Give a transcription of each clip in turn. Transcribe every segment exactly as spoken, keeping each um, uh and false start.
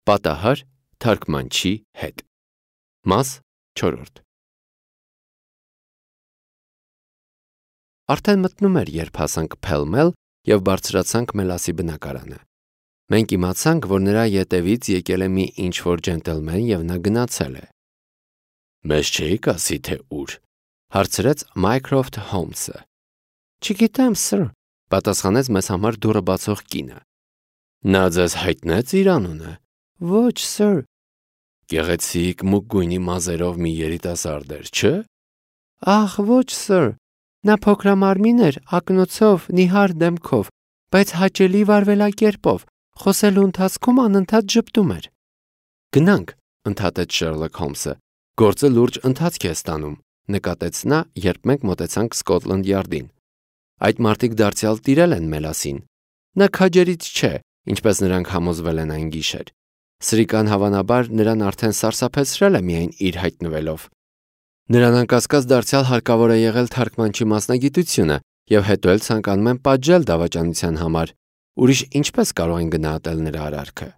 Պատահար թարգմանչի հետ։ Մաս չորրորդ։ Արդեն մտնում էր, երբ հասանք Փել-Մել և բարձրացանք Մելասի բնակարանը։ Մենք իմացանք, որ նրա ետևից եկել է մի ինչ-որ ջենտլմեն և նա գնացել է։ Մեզ չէիք ասի, թե ուր, հարցրեց Մայքրոֆթ Հոլմսը։ Չգիտեմ, սըր, պատասխանեց մեզ համար դուռը բացող կինը։ Նա ձեզ հայտնեց իր անունը։ Ոչ, սըր։ Գեղեցիկ մուգ գույնի մազերով մի երիտասարդ էր, չէ՞։ Ախ, ոչ, սըր։ Նա փոքրամարմին էր, ակնոցով, նիհար դեմքով, բայց հաճելի վարվելակերպով, խոսելու ընթացքում անընդհատ ժպտում էր։ Գնանք, ընդհատեց Շերլոք Հոլմսը։ Գործը լուրջ ընթացք է ստանում, նկատեց նա, երբ մենք մոտեցանք Սկոտլանդ Յարդին։ Այդ մարդիկ դարձյալ տիրել են Մելասին։ Նա քաջերից չէ, ինչպես նրանք համոզվել են այն գիշեր։ Սրիկան հավանաբար նրան արդեն սարսափեցրել է միայն իր հայտնվելով։ Նրան անկասկած դարձյալ հարկավոր է եղել թարգմանչի մասնագիտությունը և հետո էլ ցանկանում են պատժել դավաճանության համար։ Ուրիշ ինչպես կարող են գնահատել նրա արարքը։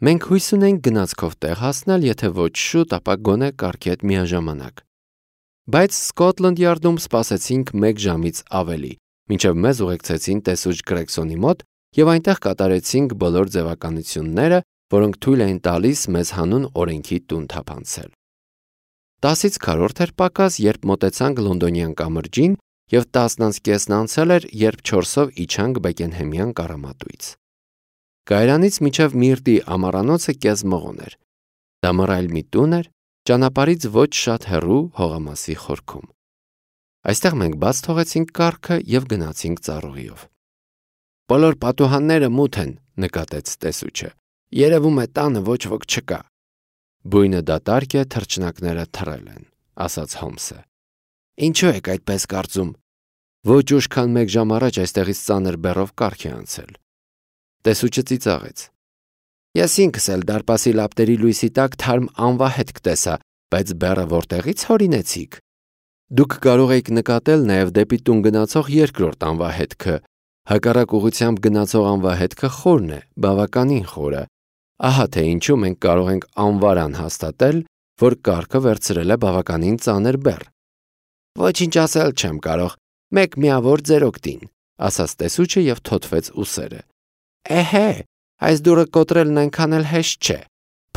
Մենք հույս ունենք գնացքով տեղ հասնել, եթե ոչ շուտ, ապա գոնե կառքի հետ միաժամանակ։ Բայց Սկոտլանդ Յարդում սպասեցինք մեկ ժամից ավելի, մինչև մեզ ուղեկցեցին տեսուչ Գրեգսոնի մոտ և այնտեղ կատարեցինք բոլոր ձևականությունները, որոնք թույլ էին տալիս մեզ հանուն օրենքի տուն թափանցել։ Տասից քառորդ էր պակաս, երբ մոտեցանք Լոնդոնյան կամրջին, և տասն անց կեսն անցել էր, երբ չորսով իջանք Բեկենհեմյան կառամատույց։ Կայարանից մինչև Միրտի ամառանոցը կես մղոն էր։ Դա մռայլ մի տուն էր, ճանապարհից ոչ շատ հեռու հողամասի խորքում։ Այստեղ մենք բաց թողեցինք կառքը և գնացինք ծառուղիով։ Բոլոր պատուհանները մութ են, նկատեց տեսուչը։ Երևում է տանը ոչ ոք չկա։ Բույնը դատարկ է, թռչնակները թռել են, ասաց Հոլմսը։ Ինչու եք այդպես կարծում։ Ոչ ուշ քան մեկ ժամ առաջ այստեղից ծանր բեռով կառք է անցել։ Տեսուչը ծիծաղեց։ Ես ինքս էլ դարպասի լապտերի լույսի տակ թարմ անվահետք տեսա, բայց բեռը որտեղից հորինեցիք։ Դուք կարող եք նկատել նաև դեպի տուն գնացող երկրորդ անվահետքը։ Հակառակ ուղղությամբ գնացող անվահետքը խորն է, բավականին խորը։ Ահա թե ինչու մենք կարող ենք անվարան հաստատել, որ կառքը վերցրել է բավականին ծանր բեռ։ Ոչինչ ասել չեմ կարող, մեկ միավոր ձեր օգտին, ասաց տեսուչը և թոթվեց ուսերը։ Էհե, այս դուռը կոտրելն այնքան էլ հեշտ չէ։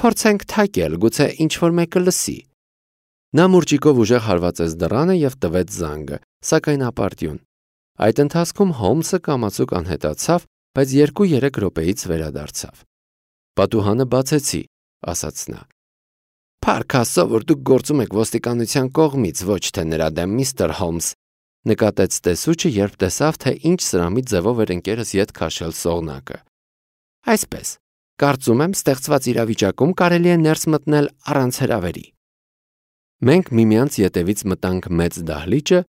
Փորձենք թակել, գուցե ինչ-որ մեկը լսի։ Նա մուրճիկով ուժեղ հարվածեց դռանը և տվեց զանգը, սակայն ապարդյուն։ Այդ ընթացքում Հոլմսը կամացուկ անհետացավ, բայց երկու-երեք րոպեից վերադարձավ։ Պատուհանը բացեցի, ասաց նա։ Փառք Աստծո, որ դուք գործում եք ոստիկանության կողմից, ոչ թե նրա դեմ, միստր Հոլմս, նկատեց տեսուչը, երբ տեսավ, թե ինչ սրամի ձևով էր ընկերս ետ քաշել սողնակը։ Այսպես, կարծում եմ, ստեղծված իրավիճակում կարելի է ներս մտնել առանց հրավերի։ Մենք միմյանց ետևից մտանք մեծ դահլիճը,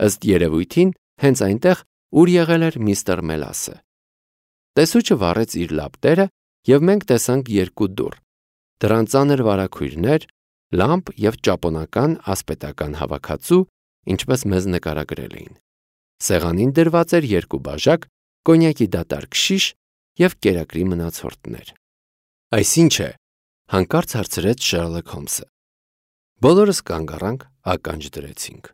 ըստ երևույթին, հենց այնտեղ, ուր եղել էր միստր Մելասը։ Տեսուչը վառեց իր լապտերը, և մենք տեսանք երկու դուռ։ Դրանց ծանր վարագույրներ, լամպ և ճապոնական ասպետական հավաքածու, ինչպես մեզ նկարագրել էին։ Սեղանին դրված էր երկու բաժակ, կոնյակի դատարկ շիշ և կերակրի մնացորդներ։ Այս ի՞նչ է, հանկարծ հարցրեց Շերլոք Հոլմսը։ Բոլորս կանգ առանք, ականջ դրեցինք։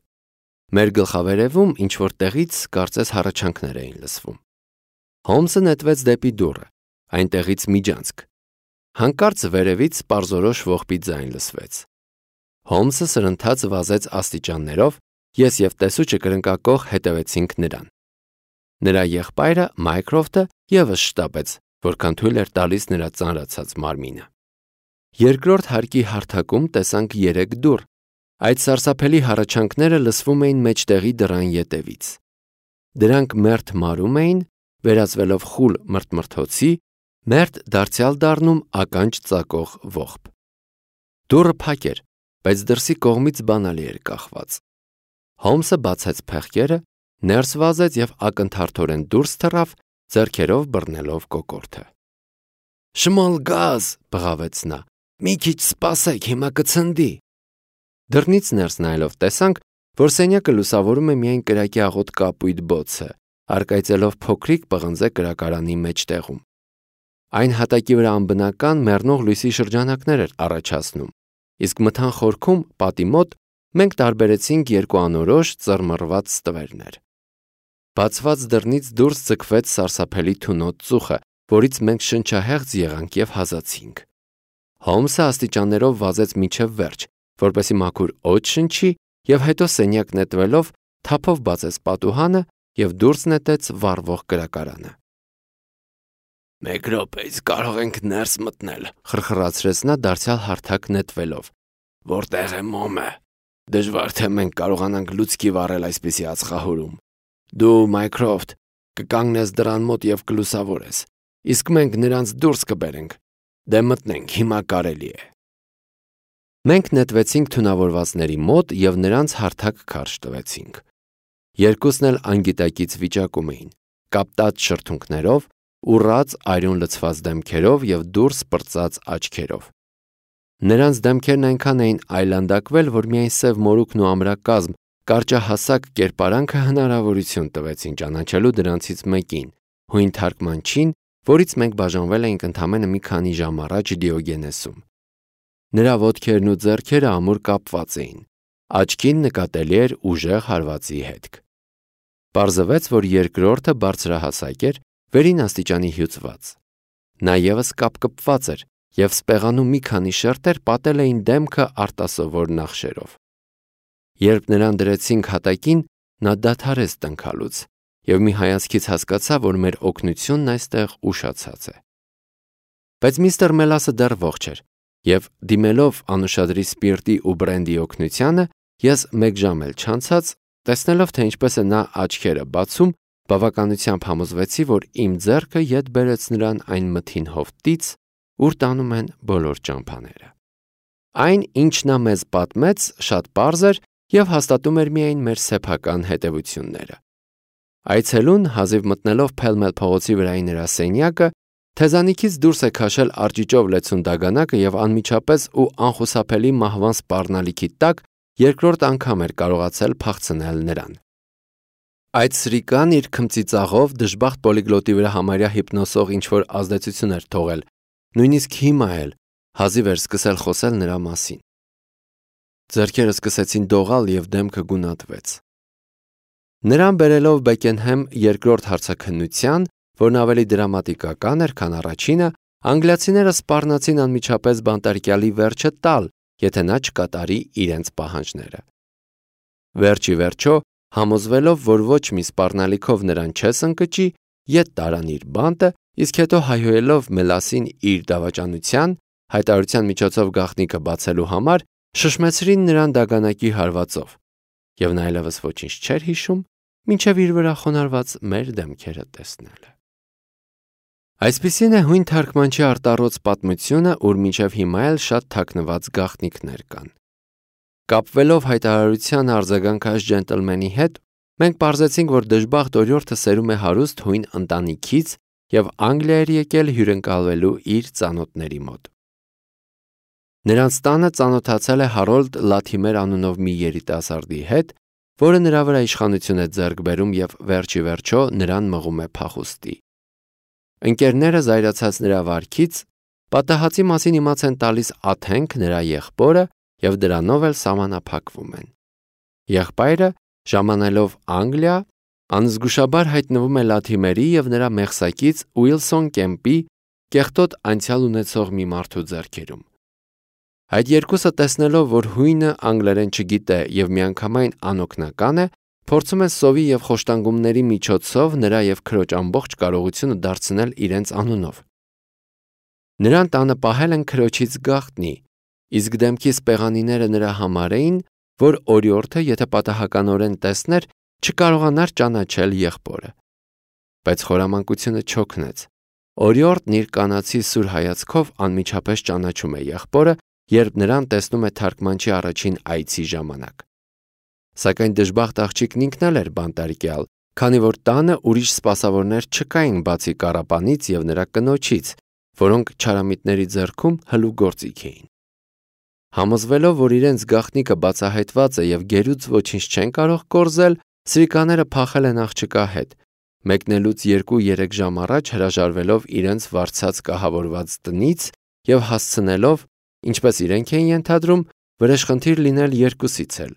Մեր գլխավերևում ինչ-որ տեղից կարծես հառաչանքներ էին լսվում։ Հոլմսը նետվեց դեպի դուռը, այնտեղից միջանցք։ Հանկարծ վերևից պարզորոշ ողբի ձայն լսվեց։ Հոլմսը սրընթաց վազեց աստիճաններով, ես և տեսուչը կրնկակոխ հետևեցինք նրան։ Նրա եղբայրը Մայքրոֆթը ևս շտապեց, որքան թույլ էր տալիս նրա ծանրացած մարմինը։ Երկրորդ հարկի հարթակում տեսանք երեք դուռ։ Այդ սարսափելի հառաչանքները լսվում էին մեջտեղի դռան ետևից։ Դրանք մերթ մարում էին, վերածվելով խուլ մրթմրթոցի, մերթ դարձյալ դառնում ականջ ծակող ողբ։ Դուռը փակ էր, բայց դրսի կողմից բանալի էր կախված։ Հոլմսը բացեց փեղկերը, ներս վազեց և ակնթարթորեն դուրս թռավ, ձեռքերով բռնելով կոկորդը։ Շմալ գազ, բղավեց նա, մի քիչ սպասեք, հիմա կցնդի։ Դռնից ներս նայելով տեսանք, որ սենյակը լուսավորում է միայն կրակի աղոտ կապույտ բոցը, առկայծելով փոքրիկ պղնձե կրակարանի մեջտեղում։ Այն հատակի վրա անբնական մեռնող լույսի շրջանակներ էր առաջացնում, իսկ մթան խորքում պատի մոտ մենք տարբերեցինք երկու անորոշ ծռմռված ստվերներ։ Բացված դռնից դուրս ձգվեց սարսափելի թունոտ ծուխը, որից մենք շնչահեղձ եղանք և հազացինք։ Հոլմսը աստիճաններով վազեց մինչև վերջ, որպեսզի մաքուր օդ շնչի, և հետո սենյակ նետվելով թափով բացեց պատուհանը և դուրս նետեց վառվող կրակարանը։ «Մեկ րոպեից կարող ենք ներս մտնել», խրխրացրեց նա դարձյալ հարթակ նետվելով։ «Որտեղ է Մոմը։ Դժվար թե մենք կարողանանք լուցկի վառել այսպիսի ածխահուրում։ Դու, Մայքրոֆտ, կկանգնես դռան մոտ և կլուսավորես, իսկ մենք նրանց դուրս կբերենք։ Դե մտնենք, հիմա կարելի է»։ Մենք նետվեցինք թունավորվածների մոտ և նրանց հարթակ քարշ տվեցինք։ Երկուսն էլ անգիտակից վիճակում էին, կապտած շրթունքներով, ուռած արյուն լցված դեմքերով և դուրս պրծած աչքերով։ Նրանց դեմքերն այնքան էին այլանդակվել, որ միայն սև մորուքն ու ամրակազմ, կարճահասակ կերպարանքը հնարավորություն տվեցին ճանաչելու դրանցից մեկին՝ հույն թարգմանչին, որից մենք բաժանվել էինք ընդամենը մի քանի ժամ առաջ Դիոգենեսում։ Նրա ոտքերն ու ձեռքերը ամուր կապված էին, աչքին նկատելի էր ուժեղ հարվածի հետք։ Պարզվեց, որ երկրորդը բարձրահասակ էր, վերին աստիճանի հյուծված։ Նա ևս կապկպված էր, և սպեղանու մի քանի շերտեր պատել էին դեմքը արտասովոր նախշերով։ Երբ նրան դրեցինք հատակին, նա դադարեց տնքալուց, և մի հայացքից հասկացա, որ մեր օգնությունն այստեղ ուշացած է։ Բայց միստր Մելասը դեռ ողջ էր, և դիմելով անուշադրի սպիրտի ու բրենդի օգնությանը, ես մեկ ժամ էլ չանցած, տեսնելով, թե ինչպես է նա աչքերը բացում, բավականությամբ համոզվեցի, որ իմ ձեռքը ետ բերեց նրան այն մթին հովտից, ուր տանում են բոլոր ճամփաները։ Այն, ինչ նա մեզ պատմեց, շատ պարզ էր և հաստատում էր միայն մեր սեփական հետևությունները։ Այցելուն, հազիվ մտնելով Փել-Մել փողոցի վրայի նրա սենյակը, թեզանիքից դուրս է քաշել արճիճով լեցուն դագանակը և անմիջապես ու անխուսափելի մահվան սպառնալիքի տակ երկրորդ անգամ էր կարողացել փախցնել նրան։ Այդ սրիկան իր քմծիծաղով դժբախտ պոլիգլոտի վրա համարյա հիպնոսող ինչ-որ ազդեցություն էր թողել, նույնիսկ հիմա էլ հազիվ էր սկսել խոսել նրա մասին։ Ձեռքերը սկսեցին դողալ և դեմքը գունատվեց։ Նրան բերելով Բեկենհեմ երկրորդ հարցաքննության, որն ավելի դրամատիկական էր, քան առաջինը, անգլիացիները սպառնացին անմիջապես բանտարկյալի վերջը տալ, եթե նա չկատարի իրենց պահանջները։ Վերջ ի վերջո, համոզվելով, որ ոչ մի սպառնալիքով նրան չես ընկճի, ետ տարան իր բանտը, իսկ հետո հայհոյելով Մելասին իր դավաճանության, հայտարարության միջոցով գաղտնիքը բացելու համար, շշմեցրին նրան դագանակի հարվածով, և նա այլևս ոչինչ չէր հիշում, մինչև իր վրա խոնարհված մեր դեմքերը տեսնելը։ Այսպիսին է հույն թարգմանչի արտառոց պատմությունը, ուր մինչև հիմա էլ շատ թաքնված գաղտնիքներ կան։ Կապվելով հայտարարության արձագանքած ջենտլմենի հետ, մենք պարզեցինք, որ դժբախտ օրիորդը սերում է հարուստ հույն ընտանիքից և Անգլիա էր եկել հյուրընկալվելու իր ծանոթների մոտ։ Նրանց տանը ծանոթացել է Հարոլդ Լաթիմեր անունով մի երիտասարդի հետ, որը նրա վրա իշխանություն է ձեռք բերում և վերջ ի վերջո նրան մղում է փախուստի։ Ընկերները զայրացած նրա վարքից, պատահածի մասին իմաց են տալիս Աթենք նրա եղբորը և դրանով էլ սահմանափակվում են։ Եղբայրը, ժամանելով Անգլիա, անզգուշաբար հայտնվում է Լաթիմերի և նրա մեղսակից Ուիլսոն Կեմպի կեղտոտ անցյալ ունեցող մի մարդու ձեռքերում։ Այդ երկուսը տեսնելով, որ հույնը անգլերեն չգիտե և միանգամայն անօգնական է, փորձում են սովի և խոշտանգումների միջոցով նրա և քրոջ ամբողջ կարողությունը դարձնել իրենց անունով։ Նրան տանը պահել են քրոջից գաղտնի, իսկ դեմքի սպեղանիները նրա համար էին, որ օրիորդը, եթե պատահականորեն տեսներ, չկարողանար ճանաչել եղբորը։ Բայց խորամանկությունը չօգնեց։ Օրիորդն իր կանացի սուր հայացքով անմիջապես ճանաչում է եղբորը, երբ նրան տեսնում է թարգմանչի առաջին այցի ժամանակ։ Սակայն դժբախտ աղջիկն ինքն էլ էր բանտարկյալ, քանի որ տանը ուրիշ սպասավորներ չկային բացի կառապանից և նրա կնոջից, որոնք չարամիտների ձեռքում հլու գործիք էին։ Համոզվելով, որ իրենց գաղտնիքը բացահայտված է և գերուց ոչինչ չեն կարող կորզել, սրիկաները փախել են աղջկա հետ, մեկնելուց երկու-երեք ժամ առաջ հրաժարվելով իրենց վարձած կահավորված տնից և հասցնելով, ինչպես իրենք էին ենթադրում, վրեժխնդիր լինել երկուսից էլ,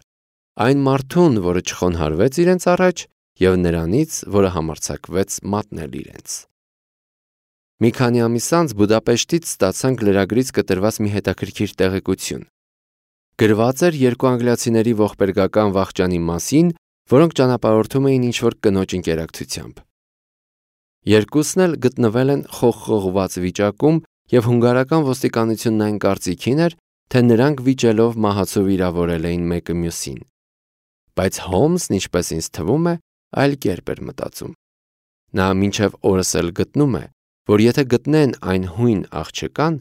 այն մարդուն, որը չխոնհարվեց իրենց առաջ, և նրանից, որը համարձակվեց մատնել իրենց։ Մի քանի ամիս անց Բուդապեշտից ստացանք լրագրից կտրված մի հետաքրքիր տեղեկություն։ Գրված էր երկու անգլիացիների ողբերգական վախճանի մասին, որոնք ճանապարհորդում էին ինչ-որ կնոջ ընկերակցությամբ։ Երկուսն էլ գտնվել են խողխողված վիճակում, և հունգարական ոստիկանությունն այն կարծիքին էր, թե նրանք վիճելով մահացու վիրավորել էին մեկը մյուսին։ Բայց Հոլմսն, ինչպես ինձ թվում է, այլ կերպ էր մտածում։ Նա մինչև օրս էլ գտնում է, որ եթե գտնեն այն հույն աղջկան,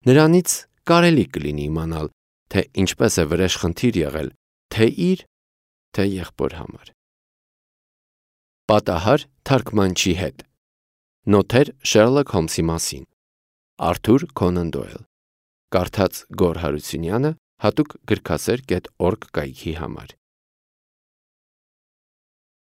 նրանից կարելի կլինի իմանալ, թե ինչպես է վրեժխնդիր եղել թե իր, թե եղբոր համար։ Պատահար թարգմանչի հետ։ Նոթեր Շերլոք Հոլմսի մասին։ Արթուր Քոնան Դոյլ։ Կարդաց Գոռ Հարությունյանը, հատուկ գրքասեր կետ օրգ կայքի համար։